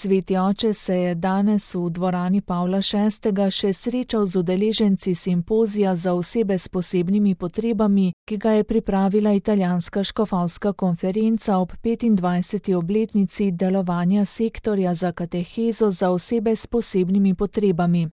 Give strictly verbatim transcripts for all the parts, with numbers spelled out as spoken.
Sveti oče se je danes v dvorani Pavla šestega še srečal z udeleženci simpozija za osebe s posebnimi potrebami, ki ga je pripravila italijanska škofovska konferenca ob petindvajseti obletnici delovanja sektorja za katehezo za osebe s posebnimi potrebami.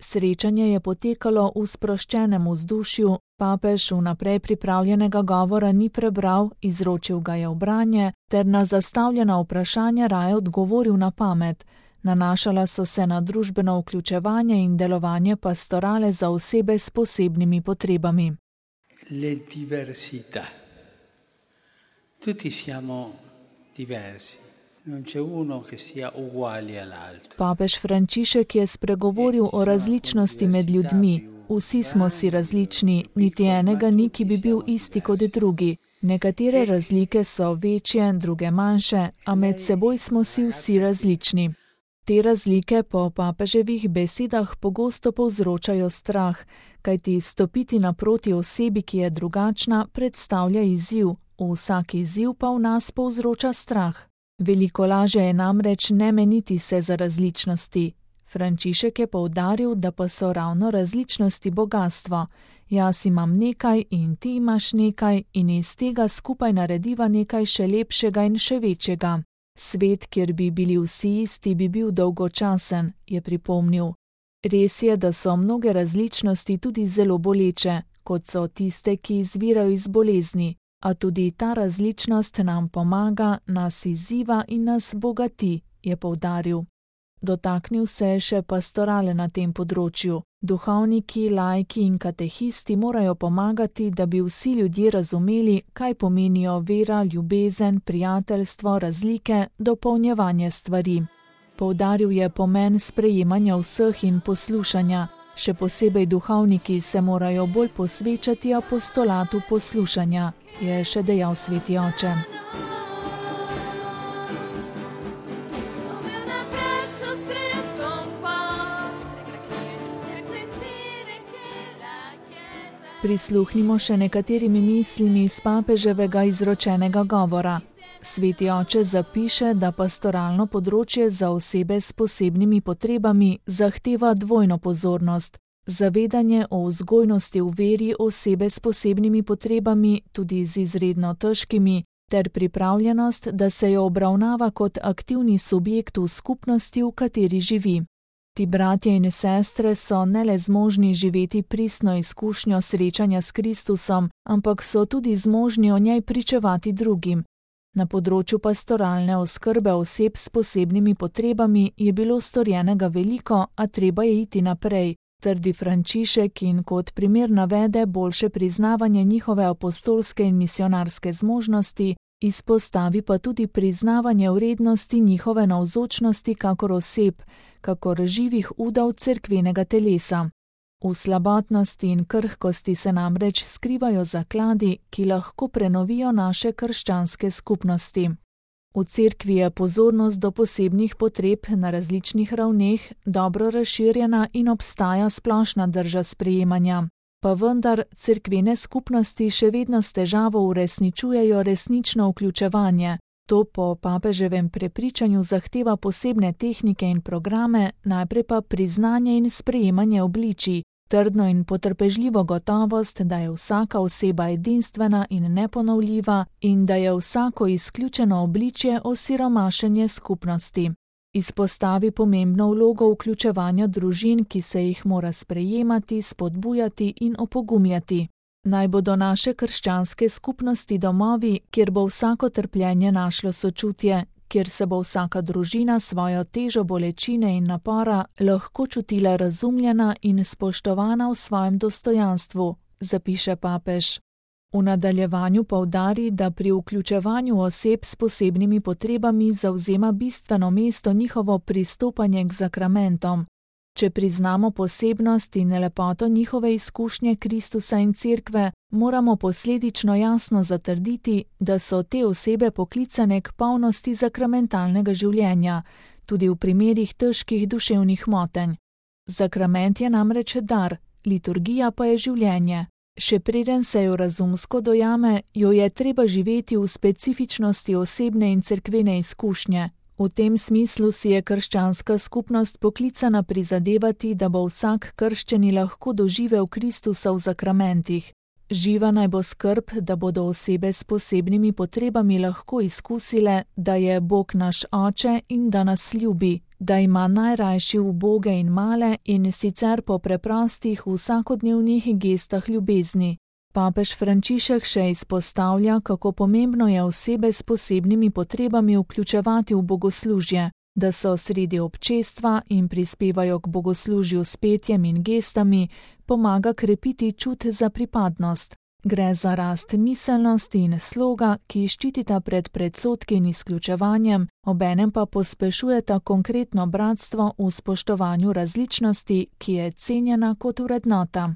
Srečanje je potekalo v sproščenem vzdušju, papež vnaprej pripravljenega govora ni prebral, izročil ga je v branje ter na zastavljena vprašanja raje odgovoril na pamet. Nanašala so se na družbeno vključevanje in delovanje pastorale za osebe s posebnimi potrebami. Le diversità. Tutti siamo diversi. Non c'è uno che sia uguale all'altro. Papež Frančišek je spregovoril o različnosti med ljudmi. Vsi smo si različni, niti enega ni, ki bi bil isti kot drugi. Nekatere razlike so večje, druge manjše, a med seboj smo si vsi različni. Te razlike po papeževih besedah pogosto povzročajo strah, kajti stopiti naproti osebi, ki je drugačna, predstavlja izziv, vsak izziv pa v nas povzroča strah. Veliko lažje je namreč ne meniti se za različnosti. Frančišek je poudaril, da pa so ravno različnosti bogastvo. Jaz imam nekaj in ti imaš nekaj in iz tega skupaj narediva nekaj še lepšega in še večjega. Svet, kjer bi bili vsi isti, bi bil dolgočasen, je pripomnil. Res je, da so mnoge različnosti tudi zelo boleče, kot so tiste, ki izvirajo iz bolezni. A tudi ta različnost nam pomaga, nas izziva in nas bogati, je poudaril. Dotaknil se je še pastorale na tem področju. Duhovniki, laiki in katehisti morajo pomagati, da bi vsi ljudje razumeli, kaj pomenijo vera, ljubezen, prijateljstvo, razlike, dopolnjevanje stvari. Poudaril je pomen sprejemanja vseh in poslušanja. Še posebej duhovniki se morajo bolj posvečati apostolatu poslušanja, je še dejal sveti oče. Prisluhnimo še nekaterimi mislimi iz papeževega izročenega govora. Sveti oče zapiše, da pastoralno področje za osebe s posebnimi potrebami zahteva dvojno pozornost. Zavedanje o vzgojnosti v veri osebe s posebnimi potrebami, tudi z izredno težkimi, ter pripravljenost, da se jo obravnava kot aktivni subjekt v skupnosti, v kateri živi. Ti bratje in sestre so ne le zmožni živeti pristno izkušnjo srečanja s Kristusom, ampak so tudi zmožni o njej pričevati drugim. Na področju pastoralne oskrbe oseb s posebnimi potrebami je bilo storjenega veliko, a treba je iti naprej, trdi Frančišek in kot primer navede boljše priznavanje njihove apostolske in misionarske zmožnosti, izpostavi pa tudi priznavanje vrednosti njihove navzočnosti kakor oseb, kakor živih udov cerkvenega telesa. V slabotnosti in krhkosti se namreč skrivajo zakladi, ki lahko prenovijo naše krščanske skupnosti. V cerkvi je pozornost do posebnih potreb na različnih ravneh dobro razširjena in obstaja splošna drža sprejemanja. Pa vendar cerkvene skupnosti še vedno s težavo uresničujejo resnično vključevanje. To po papeževem prepričanju zahteva posebne tehnike in programe, najprej pa priznanje in sprejemanje obličij, trdno in potrpežljivo gotovost, da je vsaka oseba edinstvena in neponovljiva in da je vsako izključeno obličje osiromašenje skupnosti. Izpostavi pomembno vlogo vključevanja družin, ki se jih mora sprejemati, spodbujati in opogumljati. Naj bodo naše krščanske skupnosti domovi, kjer bo vsako trpljenje našlo sočutje, kjer se bo vsaka družina svojo težo bolečine in napora lahko čutila razumljena in spoštovana v svojem dostojanstvu, zapiše papež. V nadaljevanju poudari, da pri vključevanju oseb s posebnimi potrebami zavzema bistveno mesto njihovo pristopanje k zakramentom. Če priznamo posebnost in lepoto njihove izkušnje Kristusa in cerkve, moramo posledično jasno zatrditi, da so te osebe poklicane k polnosti zakramentalnega življenja, tudi v primerih težkih duševnih motenj. Zakrament je namreč dar, liturgija pa je življenje. Še preden se jo razumsko dojame, jo je treba živeti v specifičnosti osebne in cerkvene izkušnje, V tem smislu si je krščanska skupnost poklicana prizadevati, da bo vsak krščeni lahko doživel Kristusa v zakramentih. Živa naj bo skrb, da bodo osebe s posebnimi potrebami lahko izkusile, da je Bog naš Oče in da nas ljubi, da ima najrajši uboge in male in sicer po preprostih vsakodnevnih gestah ljubezni. Papež Frančišek še izpostavlja, kako pomembno je osebe s posebnimi potrebami vključevati v bogoslužje, da so sredi občestva in prispevajo k bogoslužju s petjem in gestami, pomaga krepiti čut za pripadnost. Gre za rast miselnosti in sloga, ki ščitita pred predsodki in izključevanjem, obenem pa pospešujeta konkretno bratstvo v spoštovanju različnosti, ki je cenjena kot vrednota.